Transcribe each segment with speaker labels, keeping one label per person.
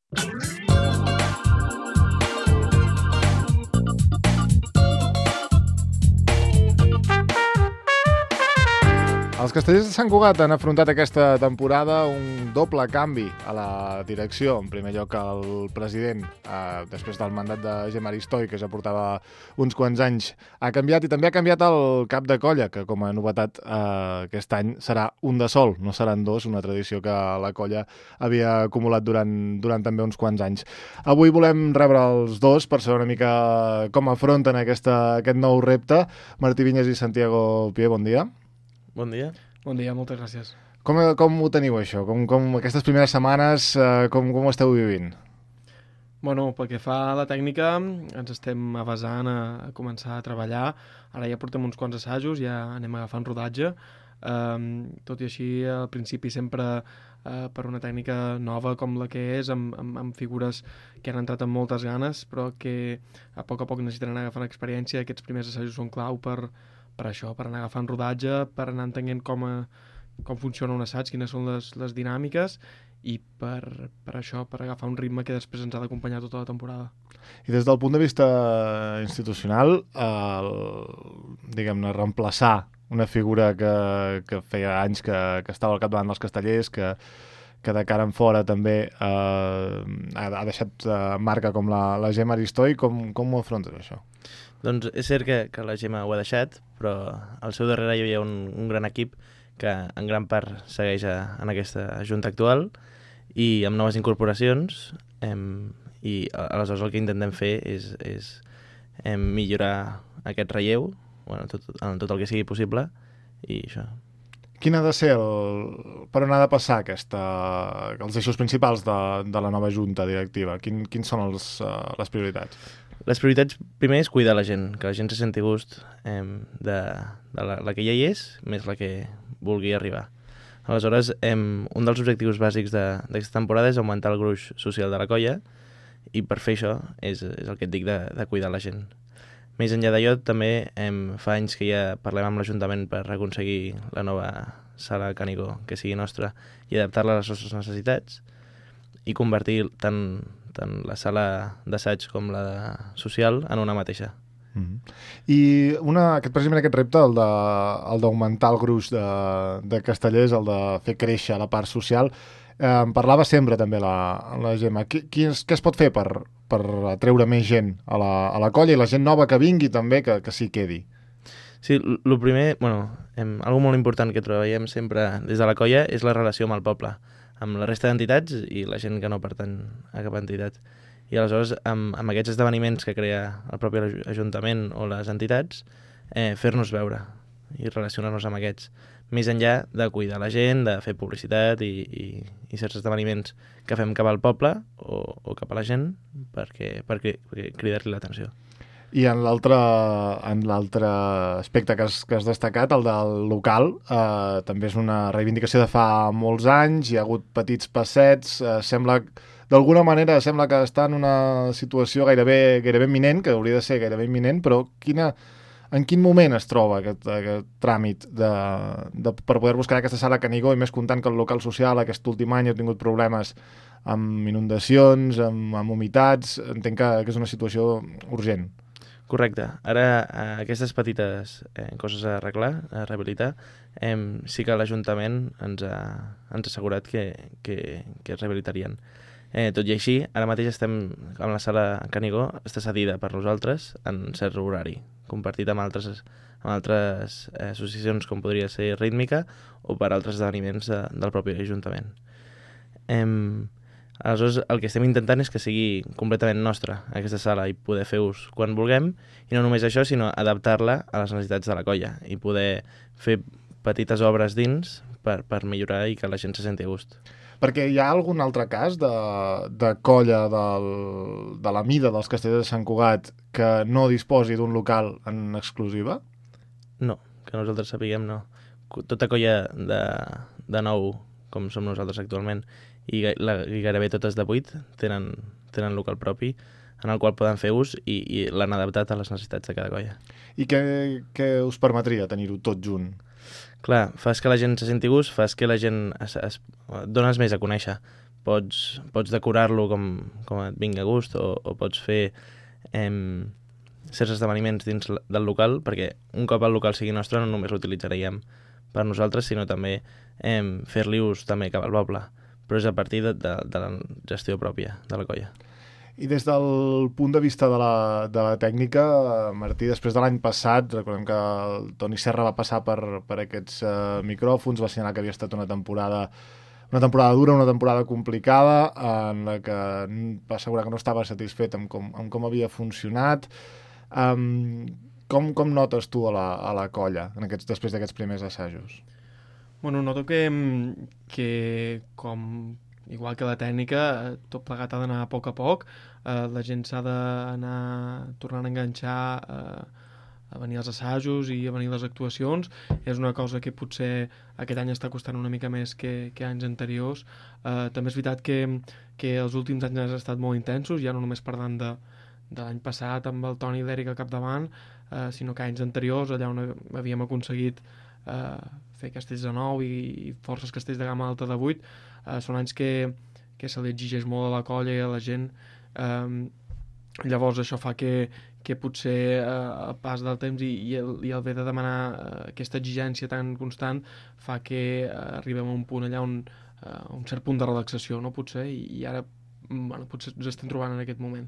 Speaker 1: Els Castellers de Sant Cugat han afrontat aquesta temporada un doble canvi a la direcció. En primer lloc, el president, després del mandat de Gemma Aristoi, que ja portava uns quants anys, ha canviat, i també ha canviat el cap de colla, que com a novetat aquest any serà un de sol, no seran dos, una tradició que la colla havia acumulat durant també uns quants anys. Avui volem rebre els dos per saber una mica com afronten aquest nou repte. Martí Vinyes i Santiago Pié, bon dia.
Speaker 2: Bon dia.
Speaker 3: Bon dia, moltes gràcies.
Speaker 1: Com ho teniu, això? Com aquestes primeres setmanes, com ho esteu vivint?
Speaker 3: Bueno, pel que fa a la tècnica, ens estem avasant a començar a treballar. Ara ja portem uns quants assajos, ja anem agafant rodatge. Tot i així, al principi sempre per una tècnica nova com la que és, amb figures que han entrat amb moltes ganes, però que a poc necessitaran agafar experiència. Aquests primers assajos són clau per això, per anar agafant rodatge, per anar entenent com funciona un assaig, quines són les dinàmiques, i per això, per agafar un ritme que després ens ha d'acompanyar tota la temporada.
Speaker 1: I des del punt de vista institucional, diguem-ne, reemplaçar una figura que feia anys que estava al capdavant dels Castellers, que de cara en fora també ha deixat marca com la Gemma Aristoi, com ho afrontes, això?
Speaker 2: Doncs és cert que la Gemma ho ha deixat, però al seu darrere hi havia un gran equip que en gran part segueix en aquesta junta actual i amb noves incorporacions, i aleshores el que intentem fer és millorar aquest relleu, en tot el que sigui possible, i això.
Speaker 1: Quin ha de ser per on ha de passar els eixos principals de la nova junta directiva? Quins són les prioritats?
Speaker 2: Les prioritats, primer, és cuidar la gent, que la gent se senti gust de la que ja hi és, més la que vulgui arribar. Aleshores, un dels objectius bàsics d'aquesta temporada és augmentar el gruix social de la colla, i per fer això és el que et dic de cuidar la gent. Més enllà d'allò, també fa anys que ja parlem amb l'Ajuntament per aconseguir la nova sala Canigó que sigui nostra i adaptar-la a les nostres necessitats i convertir tant la sala d'assaig com la social en una mateixa.
Speaker 1: I precisament aquest repte, el d'augmentar el gruix de Castellers, el de fer créixer la part social, en parlava sempre també la Gemma. Què es pot fer per atreure més gent a la colla i la gent nova que vingui també que s'hi quedi?
Speaker 2: Sí, el primer, algo molt important que treballem sempre des de la colla és la relació amb el poble, amb la resta d'entitats i la gent que no pertany a cap entitat. I aleshores, amb aquests esdeveniments que crea el propi Ajuntament o les entitats, fer-nos veure i relacionar-nos amb aquests. Més enllà de cuidar la gent, de fer publicitat i certs esdeveniments que fem cap al poble o cap a la gent perquè cridar-li l'atenció.
Speaker 1: I en l'altre aspecte que has destacat, el del local, també és una reivindicació de fa molts anys, hi ha hagut petits passets, d'alguna manera sembla que està en una situació gairebé imminent, que hauria de ser gairebé imminent, però en quin moment es troba aquest tràmit per poder buscar aquesta sala Canigó, i més comptant que el local social aquest últim any ha tingut problemes amb inundacions, amb humitats? Entenc que és una situació urgent.
Speaker 2: Correcte. Ara, aquestes petites coses a arreglar, a rehabilitar, sí que l'Ajuntament ens ha assegurat que es rehabilitarien. Tot i així, ara mateix estem amb la sala Canigó, està cedida per nosaltres en cert horari, compartit amb altres associacions com podria ser Rítmica o per altres esdeveniments del propi Ajuntament. Aleshores, el que estem intentant és que sigui completament nostra, aquesta sala, i poder fer ús quan vulguem, i no només això, sinó adaptar-la a les necessitats de la colla, i poder fer petites obres dins per millorar i que la gent se senti a gust.
Speaker 1: Perquè hi ha algun altre cas de colla de la mida dels Castellers de Sant Cugat que no disposi d'un local en exclusiva?
Speaker 2: No, que nosaltres sapiguem no. Tota colla de nou, com som nosaltres actualment, i gairebé totes de 8 tenen local propi en el qual poden fer ús i l'han adaptat a les necessitats de cada colla.
Speaker 1: I què us permetria tenir-ho tot junt?
Speaker 2: Clar, fas que la gent se senti gust, fas que la gent dones més a conèixer, pots decorar-lo com et vingui a gust o pots fer certs esdeveniments dins del local, perquè un cop el local sigui nostre no només l'utilitzaríem per nosaltres, sinó també fer-li ús també cap al poble, però és a partir de la gestió pròpia de la colla.
Speaker 1: I des del punt de vista de la tècnica, Martí, després de l'any passat, recordem que el Toni Serra va passar per aquests micròfons, va assenyalar que havia estat una temporada dura, una temporada complicada, en la que va assegurar que no estava satisfet amb com havia funcionat. Com notes tu a la colla després d'aquests primers assajos?
Speaker 3: Bueno, noto que igual que la tècnica, tot plegat ha d'anar a poc, la gent s'ha d'anar tornant a enganxar a venir als assajos i a venir a les actuacions. És una cosa que potser aquest any està costant una mica més que anys anteriors. També és veritat que els últims anys han estat molt intensos, ja no només parlant de l'any passat amb el Toni i l'Eric al capdavant, sinó que anys anteriors, allà on havíem aconseguit fer castells de 9 i forces castells de gamma alta de 8, són anys que se li exigeix molt a la colla i a la gent. Llavors això fa que potser el pas del temps i el haver de demanar aquesta exigència tan constant fa que arribem a un punt allà on un cert punt de relaxació, no? Potser, i ara potser ens estem trobant en aquest moment.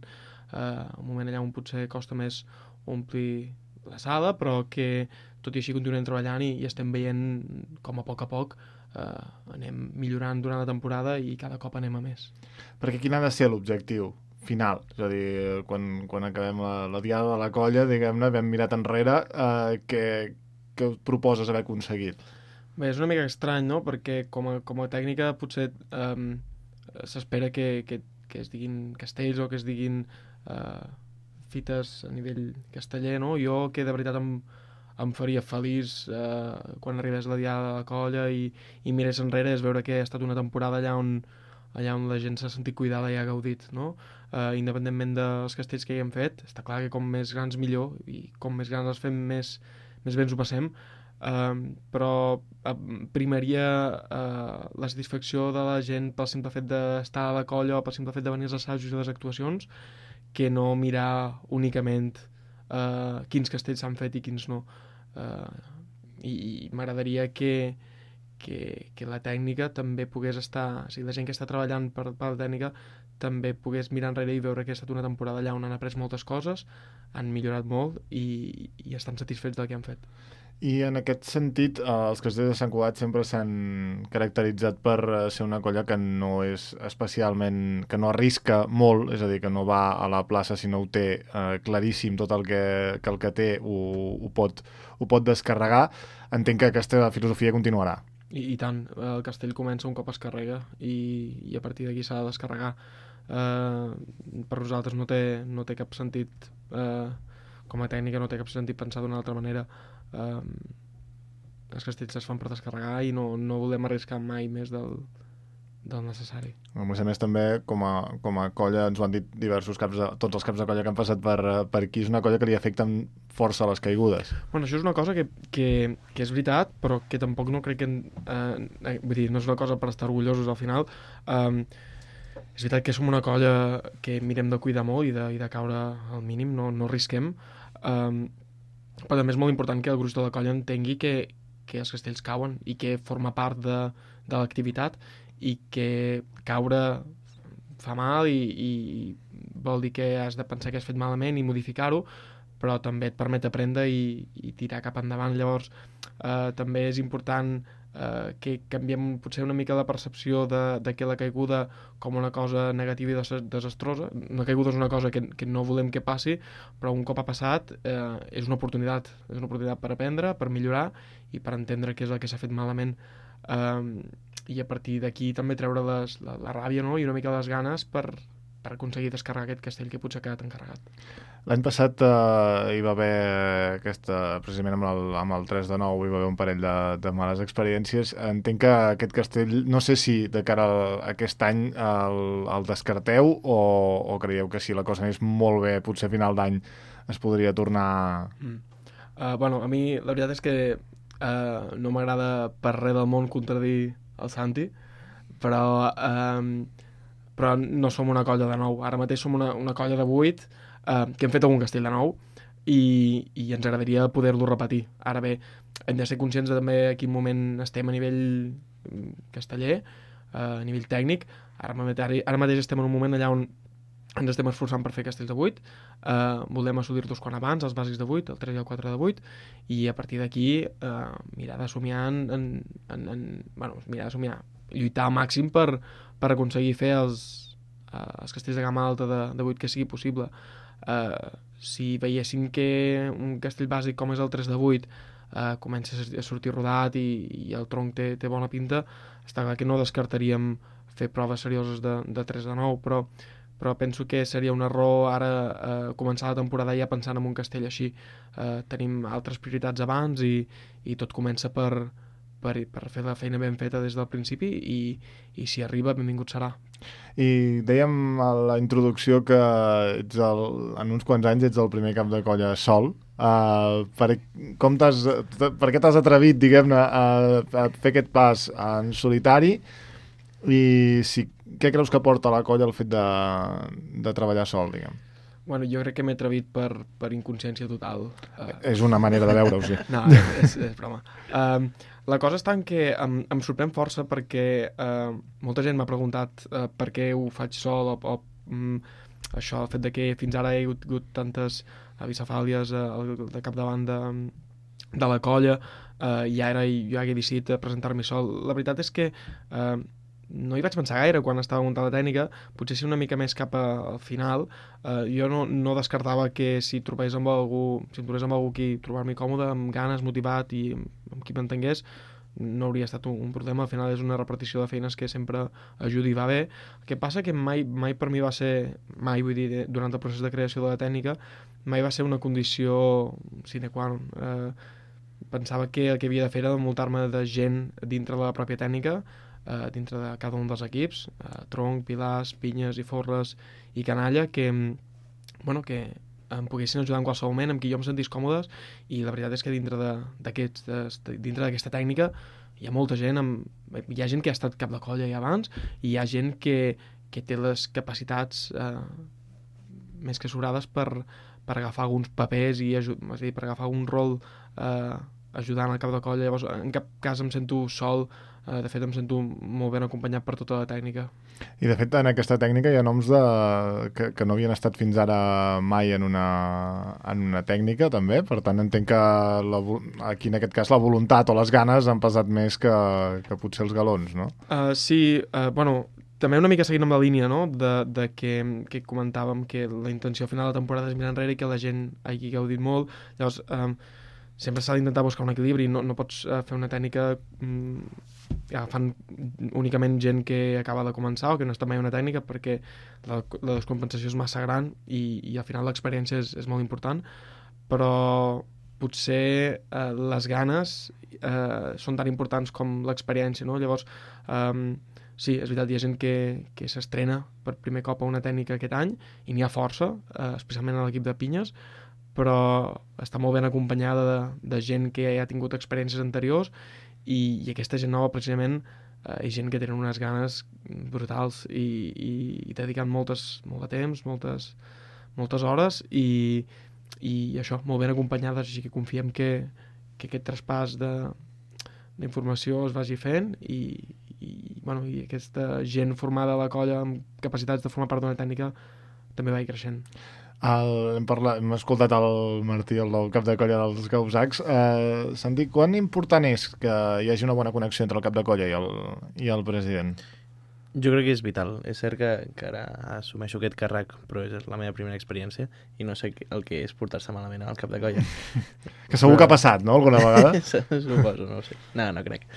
Speaker 3: Un moment allà on potser costa més omplir la sala, però que tot i així continuem treballant i estem veient com a poc anem millorant durant la temporada i cada cop anem a més.
Speaker 1: Perquè quin ha de ser l'objectiu final? És a dir, quan acabem la diada de la colla, diguem-ne, vam mirat enrere, què proposes haver aconseguit?
Speaker 3: Bé, és una mica estrany, no? Perquè com a tècnica potser s'espera que es diguin castells o que es diguin fites a nivell casteller, no? Jo, que de veritat em faria feliç quan arribés la diada de la colla i mirés enrere, és veure que ha estat una temporada allà on la gent s'ha sentit cuidada i ha gaudit, no? Independentment dels castells que hi hem fet, està clar que com més grans millor, i com més grans els fem més bé ens ho passem, però primaria la satisfacció de la gent pel simple fet d'estar a la colla o pel simple fet de venir als assajos i les actuacions, que no mirar únicament quins castells s'han fet i quins no. I m'agradaria que la tècnica també pogués estar, o sigui, la gent que està treballant per la tècnica també pogués mirar enrere i veure que ha estat una temporada allà on han après moltes coses, han millorat molt i estan satisfets del que han fet.
Speaker 1: I en aquest sentit, els castells de Sant Cugat sempre s'han caracteritzat per ser una colla que no és especialment, que no arrisca molt, és a dir, que no va a la plaça si no ho té claríssim, tot el que té ho pot descarregar. Entenc que aquesta filosofia continuarà.
Speaker 3: I tant, el castell comença un cop es carrega i a partir d'aquí s'ha de descarregar. Per nosaltres no té cap sentit, com a tècnica no té cap sentit pensar d'una altra manera. Els castells es fan per descarregar i no volem arriscar mai més del necessari.
Speaker 1: A més també, com a colla, ens ho han dit tots els caps de colla que han passat per aquí, és una colla que li afecten força les caigudes.
Speaker 3: Bueno, això és una cosa que és veritat, però que tampoc no crec que... vull dir, no és una cosa per estar orgullosos al final. És veritat que som una colla que mirem de cuidar molt i de caure al mínim, no risquem. Però també és molt important que el gruix de la colla entengui que els castells cauen i que forma part de l'activitat i que caure fa mal i vol dir que has de pensar que has fet malament i modificar-ho, però també et permet aprendre i tirar cap endavant. Llavors també és important que canviem potser una mica la percepció de que la caiguda com una cosa negativa i desastrosa. Una caiguda és una cosa que no volem que passi, però un cop ha passat és una oportunitat per aprendre, per millorar i per entendre què és el que s'ha fet malament, i a partir d'aquí també treure la ràbia, no? I una mica les ganes per aconseguir descarregar aquest castell que potser ha quedat encarregat.
Speaker 1: L'any passat hi va haver precisament amb el 3 de 9 hi va haver un parell de males experiències. Entenc que aquest castell, no sé si de cara a aquest any el descarteu o creieu que si la cosa anés molt bé, potser a final d'any es podria tornar...
Speaker 3: Bueno, a mi la veritat és que no m'agrada per res del món contradir el Santi, però però no som una colla de 9. Ara mateix som una colla de 8 que hem fet algun castell de 9 i ens agradaria poder-lo repetir. Ara bé, hem de ser conscients de també a quin moment estem a nivell casteller, a nivell tècnic. Ara mateix estem en un moment allà on ens estem esforçant per fer castells de 8, volem assolir-los quan abans, els bàsics de 8, el 3 i el 4 de 8, i a partir d'aquí mirar de somiar lluitar al màxim per aconseguir fer els castells de gamma alta de 8 que sigui possible. Si veiéssim que un castell bàsic com és el 3 de 8 comença a sortir rodat i el tronc té bona pinta, està clar que no descartaríem fer proves serioses de 3 de 9, però penso que seria un error ara començar la temporada ja pensant en un castell així. Tenim altres prioritats abans i tot comença per fer la feina ben feta des del principi i si arriba, benvingut serà.
Speaker 1: I dèiem a la introducció que en uns quants anys ets el primer cap de colla sol. Per què t'has atrevit, diguem-ne, a fer aquest pas en solitari i què creus que porta a la colla el fet de treballar sol, diguem?
Speaker 3: Bueno, jo crec que m'he atrevit per inconsciència total.
Speaker 1: És una manera de veure-ho, sí.
Speaker 3: No, és broma. La cosa està en que em sorprèn força perquè molta gent m'ha preguntat per què ho faig sol o això, el fet de que fins ara he hagut tantes bicefàlies de capdavant de la colla i ara jo hagué decidit presentar-me sol. La veritat és que no hi vaig pensar gaire quan estava muntant la tècnica, potser ser una mica més cap al final. Jo no descartava que si em trobés amb algú qui trobar-me còmode, amb ganes, motivat i amb qui m'entengués, no hauria estat un problema. Al final és una repetició de feines que sempre ajuda i va bé. El que passa que mai per mi va ser, vull dir, durant el procés de creació de la tècnica, mai va ser una condició sine qua non. Pensava que el que havia de fer era envoltar-me de gent dintre de la pròpia tècnica, dintre de cada un dels equips, tronc, pilars, pinyes i forres i canalla, que em poguessin ajudar en qualsevol moment, amb qui jo em sentís còmodes, i la veritat és que dintre d'aquesta tècnica hi ha molta gent, hi ha gent que ha estat cap de colla ja abans, i hi ha gent que té les capacitats més que sobrades per agafar alguns papers és a dir, per agafar un rol ajudant al cap de colla. Llavors en cap cas em sento sol, de fet em sento molt ben acompanyat per tota la tècnica.
Speaker 1: I de fet en aquesta tècnica hi ha noms que no havien estat fins ara mai en una tècnica també, per tant entenc que aquí en aquest cas la voluntat o les ganes han pesat més que potser els galons, no?
Speaker 3: Sí, també una mica seguint amb la línia, no?, de que comentàvem que la intenció al final de la temporada és mirar enrere i que la gent hagi gaudit molt. Llavors sempre s'ha d'intentar buscar un equilibri, no pots fer una tècnica agafant únicament gent que acaba de començar o que no està mai una tècnica, perquè la descompensació és massa gran i al final l'experiència és molt important, però potser les ganes són tan importants com l'experiència, no? Llavors sí, és veritat, hi ha gent que s'estrena per primer cop a una tècnica aquest any i n'hi ha força, especialment a l'equip de pinyes, però està molt ben acompanyada de gent que ja ha tingut experiències anteriors i aquesta gent nova precisament és gent que tenen unes ganes brutals i dedicant molt de temps, moltes hores i això, molt ben acompanyades, així que confiem que aquest traspàs d'informació es vagi fent i aquesta gent formada a la colla amb capacitats de formar part d'una tècnica també vagi creixent.
Speaker 1: Hem escoltat el Martí, el del cap de colla dels Gausacs. Santi, quan important és que hi hagi una bona connexió entre el cap de colla i el president?
Speaker 2: Jo crec que és vital. És cert que ara assumeixo aquest càrrec, però és la meva primera experiència i no sé el que és portar-se malament al cap de colla.
Speaker 1: Que segur que ha passat, no?, alguna vegada?
Speaker 2: Suposo, no ho sé. No crec.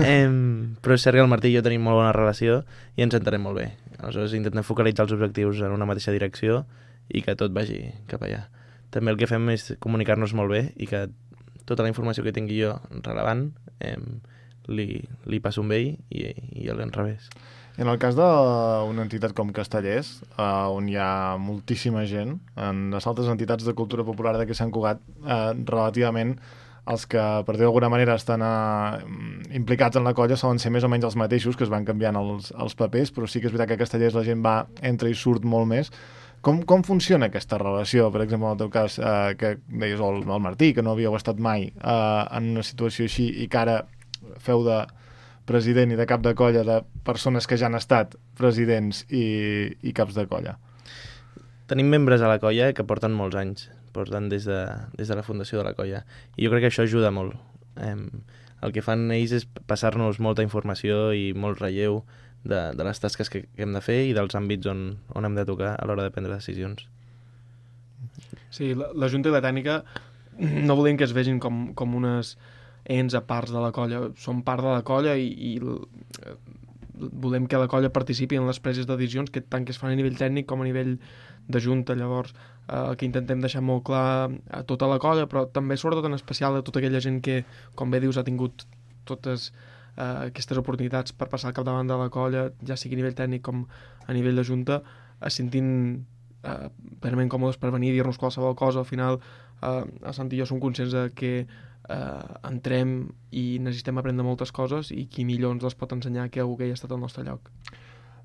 Speaker 2: Però és cert que el Martí i jo tenim molt bona relació i ens entenem molt bé. Aleshores intentem focalitzar els objectius en una mateixa direcció i que tot vagi cap allà. També el que fem és comunicar-nos molt bé i que tota la informació que tingui jo rellevant li passo amb ell i a l'enrevés.
Speaker 1: En el cas d'una entitat com Castellers, on hi ha moltíssima gent, en les altres entitats de cultura popular de Sant Cugat, relativament els que, per dir d'alguna manera, estan implicats en la colla solen ser més o menys els mateixos, que es van canviant els papers, però sí que és veritat que a Castellers la gent entra i surt molt més. Com funciona aquesta relació? Per exemple, en el teu cas, que deies el Martí, que no havíeu estat mai en una situació així i que ara feu de president i de cap de colla de persones que ja han estat presidents i caps de colla.
Speaker 2: Tenim membres a la colla que porten molts anys, porten des de la fundació de la colla, i jo crec que això ajuda molt. El que fan ells és passar-nos molta informació i molt relleu de les tasques que hem de fer i dels àmbits on hem de tocar a l'hora de prendre decisions.
Speaker 3: Sí, la Junta i la Tècnica no volem que es vegin com unes ens a parts de la colla. Som part de la colla i volem que la colla participi en les preses de decisions, que tant que es fan a nivell tècnic com a nivell de junta. Llavors, el que intentem deixar molt clar a tota la colla, però també sobretot en especial a tota aquella gent que, com bé dius, ha tingut totes aquestes oportunitats per passar al capdavant de la colla, ja sigui a nivell tècnic com a nivell de junta, es sentin plenament còmodes per venir a dir-nos qualsevol cosa. Al final, el Sant i jo som conscients de que entrem i necessitem aprendre moltes coses, i qui millor ens les pot ensenyar que algú que hi ha estat al nostre lloc.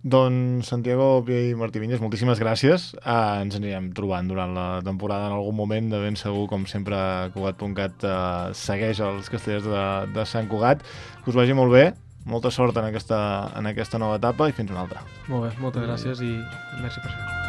Speaker 1: Doncs Santiago i Martí Vinyes, moltíssimes gràcies. Ens anirem trobant durant la temporada en algun moment, de ben segur, com sempre, Cugat.cat segueix els Castellers de Sant Cugat. Que us vagi molt bé, molta sort en aquesta nova etapa i fins una altra.
Speaker 3: Molt bé, moltes gràcies i merci per això.